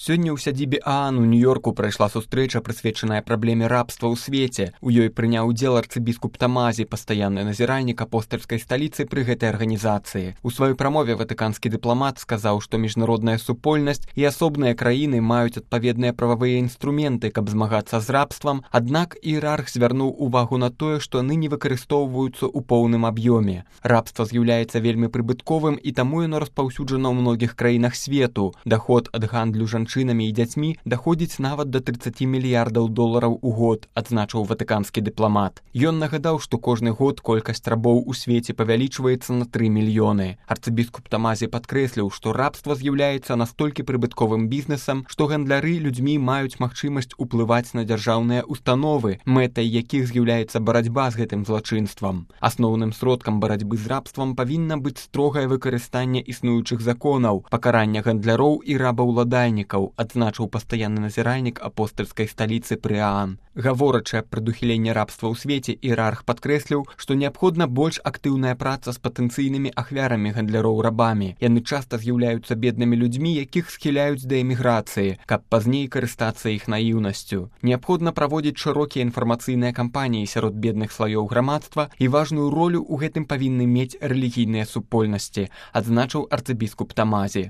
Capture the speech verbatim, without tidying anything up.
Сёння ў сядзібе ААН у Нью-Йорку прайшла сустрэча, прысвечаная праблеме рабства ў свеце. У ёй прыняў удзел арцыбіскуп Тамазі, пастаянны назіральнік апостальскай сталіцы пры гэтай арганізацыі. У сваёй прамове ватыканскі дыпламат сказаў, што міжнародная супольнасць і асобныя краіны маюць адпаведныя прававыя інструменты, каб змагацца з рабствам, аднак іерарх звярнуў увагу на тое, што ныне выкарыстоўваюцца ў поўным аб'ёме. Рабства з'яўляецца вельмі прыбытковым, і таму яно распаўсюджана ў многіх краінах свету. Даход ад гандлю жанчынамі і дзяцьмі даходзіць нават да трыццаці мільярдаў долараў у год, адзначыў ватыканскі дыпламат. Ён нагадаў, што кожны год колькасць рабоў у свеце павялічваецца на тры мільёны. Арцыбіскуп Тамазі падкрэсліў, што рабства з'яўляецца настолькі прыбытковым бізнесам, што гандляры людзьмі маюць магчымасць уплываць на дзяржаўныя установы, мэтай якіх з'яўляецца барацьба з гэтым злачынствам. Асноўным сродкам барацьбы з рабствам павінна быць строгае выкарыстанне існуючых законаў, пакарання гандляроў і рабаўладальнікаў, адзначыў пастаянны назіральнік апостальскай сталіцы пры ААН. Гаворачы аб прадухіленні рабства ў свеце, іерарх падкрэсліў, што неабходна больш актыўная праца з патэнцыйнымі ахвярамі гандляроў рабамі. Яны часта з'яўляюцца беднымі людзьмі, якіх схіляюць да эміграцыі, каб пазней карыстацца іх наіўнасцю. Неабходна праводзіць шырокія інфармацыйныя кампаніі сярод бедных слаёў грамадства, і важную ролю ў гэтым павінны мець рэлігійныя супольнасці, адзначыў арцыбіскуп Тамазі.